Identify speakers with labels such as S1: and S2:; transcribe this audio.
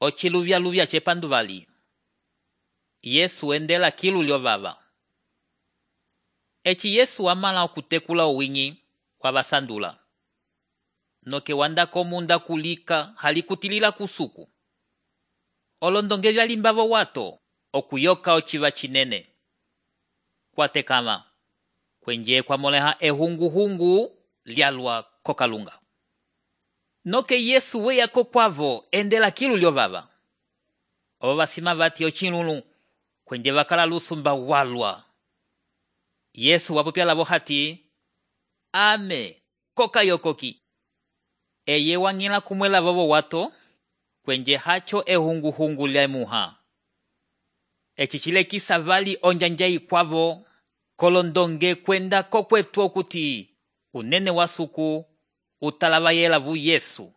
S1: Ociluvyaluvya cepanduvali. Yesu endela kilu lyovava. Eci Yesu amala okutekula owinyi wavasandula. Noke wanda komunda kulika halikutilila kusuku. Olondonge vyalimbavo wato okuyoka ociva cinene. Kwatekama. Kwenje kwamoleha ehungu-hungu lyalwa kokalunga. Noke Yesu weya kokwavo endela kilu lyovava. Obo basima bati ochinlulu kwenje bakala lusumba walwa. Yesu wapopya lavo hati, ame koka yokoki. Eye wangila kumwela vovo wato kwenje hacho ehungu-hungu lyemuha. Eci chilekisa vali onjanja ikwavo kolondonge kwenda kokwetu okuti unene wasuku utalava yela vu Yesu.